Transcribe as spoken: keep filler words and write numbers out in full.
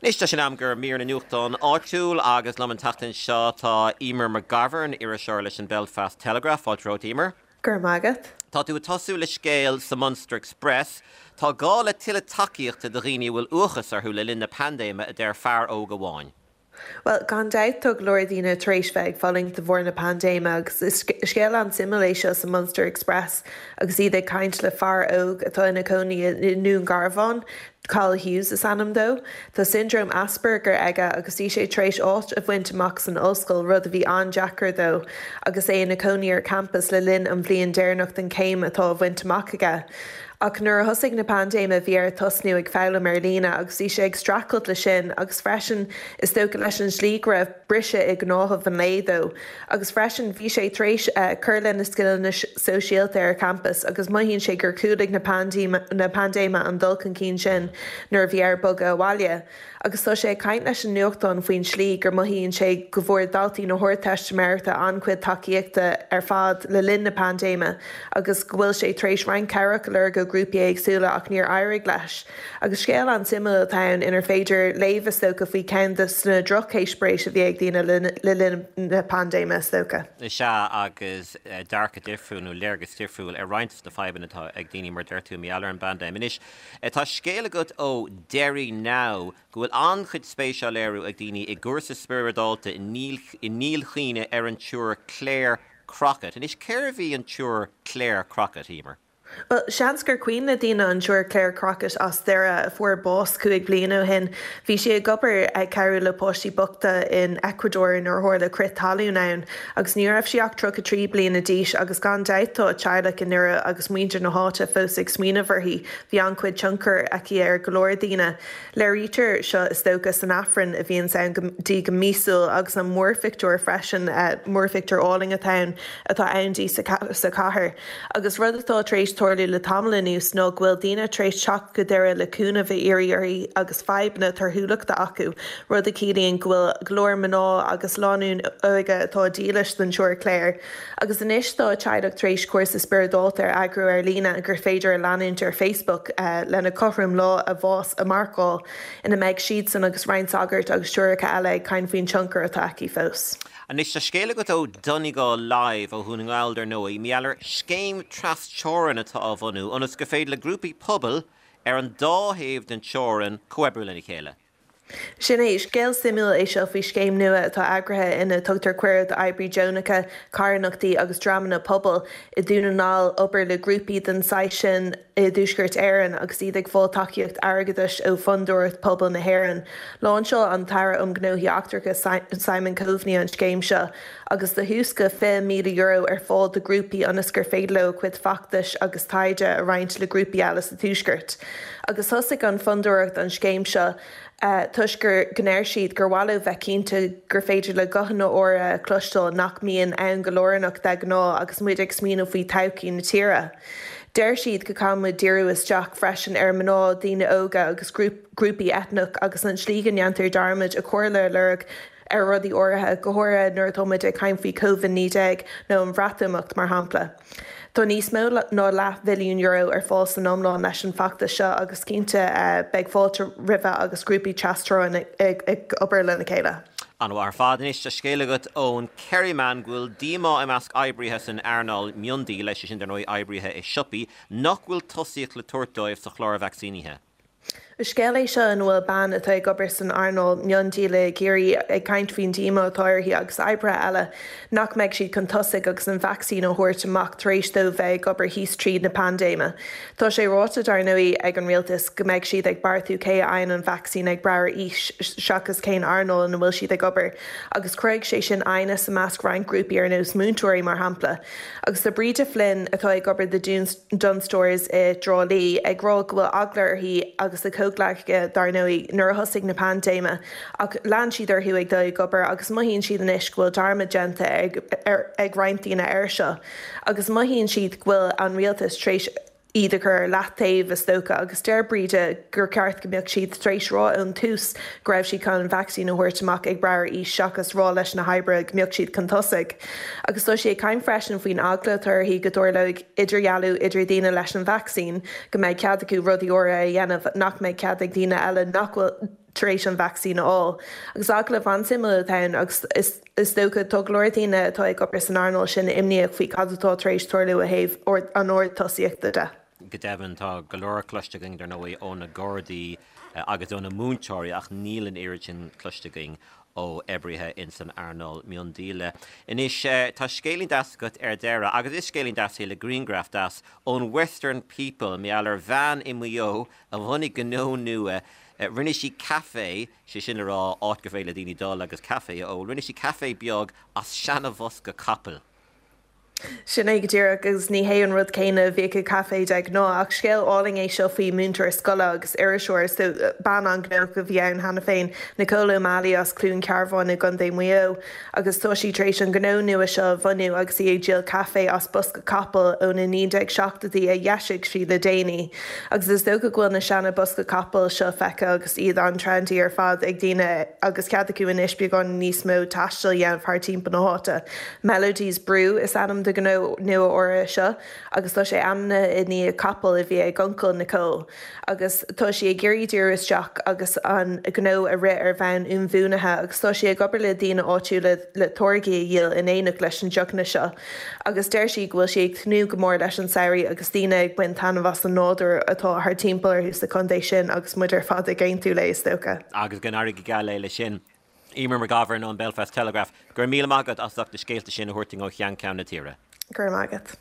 Anois tá sé in am do mhír na nuachtán áitiúil agus liom an tseachtain seo tá Emer McGovern iriseoir leis an Belfast Telegraph fáilte romhat Emer. Gur magat. Tá tú ag tosú le scéal sa Munster Express, Tá gá le tuilleadh tacaíochta do dhaoine bhfuil uathachas orthu le linn na paindéime a deir fear óg amháin. Well gan dabht tá go leor daoine tar éis bheith ag fulaingt de bharr na paindéime agus is scéal an-suimiúil é seo sa Munster Express agus iad ag caint le fear óg atá ina chónaí i nDún Garbhán, Carl Hughes is ainm dó, Tá syndrome Asperger aige agus bhí sé tar éis áit a bhaint amach san ollscoil rud a bhí an-deacair dó agus é ina chónaí ar campus le linn an bhliain deireanach den chéim atá á bhaint amach aige. Ach nuair a thosaigh na paindéime bhí air tosnú ag foghlaim ar líne agus bhí sé ag streachailt le sin agus freisin is dócha leis an slí go raibh briseadh i ngnáthamh an lae dó. agus freisin bhí sé tar éis uh, cur lena scileanna sóisialta ar campus agus mothaíonn sé gur chúlaigh na na paindéime an dul chun cinn sin nuair a bhí air bogadh abhaile. Agus tá sé ag caint leis an nuachtán faoin slí gur mothaíonn sé go bhfuair daltaí na hArdteistiméireachta an-chuid tacaíochta ar fad le linn na paindéime agus go bhfuil sé tar éis roinnt cabhrach a lorg ó ghrúpaí éagsúla ach níor éirigh leis. Agus scéal an-suimiúil atá ann inar féidir léamh is dócha faoi cheann de na drocheispéiris a bhí ag daoine le linn na paindéime is dócha. Is ea agus eh, dearcadh difriúil nó léargas difriúil ar roinnt na fadhbanna atá ag daoine mar deir tú mar gheall ar an bpaindéim. Anois eh, tá scéal agat ó Derry Now go bhfuil an-chuid spéise á léiriú ag daoine i gcúrsa spioradálta i nDíol Chaoin ar an tSiúr Claire Crockett. Anois cérbh í an tSiúr Claire Crockett Emer. Well, seans gur cuimhin le daoine an tSiúr Claire Crockett as Doire a fuair bás cúig bliana ó shin. Bhí sí ag obair ag cabhrú le páistí bochta in Ecuador nuair a tharla crith talún ann, agus ní raibh sí ach tríocha trí bliana d'aois agus gan dabht tá a teaghlach i nDoire agus muintir na háite fós ag smaoineamh uirthi, bhí an-chuid tionchar aici ar go leor daoine. Léirítear seo is dócha san Aifreann a bhíonn ann di go míosúil agus an múrphictiúr freisin uh, múrphictiúr álainn atá atá ann di sa chathair. Agus rud atá tar éis tarlú le tamall anuas ná go bhfuil daoine tar éis teacht go Doire le cúnamh a iarraidh uirthi agus fadhbanna torthúlachta acu, rud a chiallaíonn go bhfuil go leor mná agus lánúin óga atá dílis don tSiúr Claire. Agus anois tá teaghlach tar éis cúrsa spioradálta a eagrú ar líne gur féidir a leanúint ar Facebook uh, lena cothrom lá a bháis a mharcáil ina mbeidh siad san agus roinnt sagart agus siúracha eile ag caint faoin tionchar atá aici fós. Anois tá scéal agat ó Donegal Live ó Dhún na nGall ar ndóigh, mar gheall ar scéim trasteorann atá á bhunú, ionas gur féidir le grúpaí pobail ar an dá thaobh den teorainn comhoibriú lena chéile. Sin é scéal suimiúil é seo faoi scéim nua atá eagraithe ina tugtar cuireadh d'oibrithe deonacha, carthanachtaí agus dreamanna pobail i nDún na nGall obair le grúpaí den saghas sin i dTuaisceart Éireann agus iad ag fáil tacaíocht airgeadais ó Fhondúireacht Pobail na hÉireann. Lainseáil an tAire um Ghnóthaí Eachtracha Simon Coveney an scéim seo, agus tá suas go fiche míle euro ar fáil do grúpaí ionas gur féidir leo cuid feachtais agus taighde a roinnt le grúpaí eile sa Tuaisceart. Agus thosaigh an fondúireacht an scéim seo Uh, toisc gur ndeir siad gur mhaith leo bheith cinnte gur féidir le guthanna áirithe a chloisteáil nach mbíonn ann go lárnach de ghnáth agus muid ag smaoineamh faoi todhchaí na tíre. Deir siad go gcaithfidh muid díriú isteach freisin ar mná daoine óga agus grúpaí eitneach agus an slí go ndéantar dearmad a comhairle a lorg ar rudaí áirithe go háirithe nuair atáimid ag caint faoi COVID naoi déag nó an Bhreatimeacht mar shampla. Tá níos mó ná leathmhilliún euro ar fáil san iomlán leis an bhfeachtas seo agus cinnte uh, beidh fáilte roimhe agus grúpaí trasteorann ag, ag obair lena chéile. An-mhaith ar fad anois tá scéal agat ón Kerryman go bhfuil díomá i measc oibrithe san earnáil miondíola sé sin dar ndóigh oibrithe i siopaí nach bhfuil tosaíocht le tabhairt dóibh sa chlár vacsaínithe. Scéal é seo ina bhfuil bean atá ag obair san earnáil miondíola i gCiarraí ag caint faoin díomá atá uirthi agus oibrithe eile nach mbeidh siad chun tosaigh agus an vacsaín á thabhairt amach tar éis dóibh bheith ag obair thíos tríd na paindéime. Tá sé ráite dar ndóigh ag an rialtas go mbeidh siad ag beartú cé a fhaigheann an vacsaín ag brath ar aois seachas cén earnáil ina bhfuil siad ag obair, agus chuir sé sin aighneas i measc roinnt grúpaí ar nós múinteoirí mar shampla. Agus tá Bríde Flynn atá ag obair do Dunnes Stores i dTrá Lí ag rá go bhfuil eagla uirthi agus a comhghleacaithe dar ndóigh nuair a thosaigh na paindéime ach lean siad orthu ag dul ag obair agus mothaíonn siad anois go bhfuil dearmad déanta ag, ar, ag roinnt daoine air seo. Agus mothaíonn siad go bhfuil an rialtas tar éis iad a chur ar leataobh is dócha agus deir Bríde gur ceart go mbeadh siad tar éis rá ón tús go raibh siad chun an vacsaín a thabhairt amach ag brath ar aois seachas rá leis na hoibrithe go mbeadh siad chun tosaigh. Agus tá sí ag caint freisin faoin eagla atá uirthi go dtarlóidh idirdhealú idir daoine leis an vacsaín, go mbeidh cead acu rudaí áirithe a dhéanamh nach mbeidh cead ag daoine eile nach bhfuil tar éis an vacsaín a fháil. Agus agallamh an-suimiúil atá ann agus is is dócha tá go leor daoine atá ag obair san earnáil sin imníoch faoi cad atá tar éis tarlú ó thaobh an ord tosaíochta de. Go deimhin tá go leor cloiste againn dar ndóigh ó na Gardaí agus ó na múinteoirí ach níl an oiread sin cloiste againn ó oibrithe in san earnáil miondíola. Anois tá scéilín deas agat ar deireadh agus is scéilín deas é le grianghraf deas ón Western People maidir le bean i Maigh Eo a bhunaigh gnó nua rinne sí caife sé sin le rá áit gur féidir le daoine dul agus caife a ól, rinne sí caife beag as seanabhosca capaill. Sin é go díreach agus ní hé an rud céanna a bhíodh i caife de ghnáth ach scéal álainn é seo faoi múinteoir scoile agus iriseoir so bean an-ghnóthach a bhí ann cheana féin Nicole O'Malley as Cluain Cearbán i gContae Mhaigh Eo agus tá sí tar éis an gnó nua seo a bhunú agus í ag díol caife as bosca capall ó na naoi déag seachtóidí a dheisigh sí le déanaí. Agus is dócha go bhfuil na seana bosca capall seo feicthe agus iad an-trendy ar fad ag daoine agus cead acu anois beagán níos mó taistil a dhéanamh thar timpeall na háite. Melodies Brew is ainm do gnó nua úr seo agus tá sé ainmnithe i ndiaidh capall a bhí ag uncail Nicole. agus tá sí ag iarraidh díriú isteach agus an gnó a rith ar bhonn inbhuanaithe agus tá sí ag obair le daoine áitiúla le táirgí a dhíol in éineacht leis an deochanna seo. Agus deir sí go bhfuil sí ag tnúth go mór leis an samhradh agus daoine ag baint taitneamh as an nádúr atá thar timpeall orthu sa chontae sin agus muid ar fad ag aontú léi is dócha. Agus go n-éirí go geal léi sin. Eimear McGovern ón Belfast Telegraph, gur míle maith agat as na scéalta sin a thabhairt ó cheann ceann na tíre. Gur agat.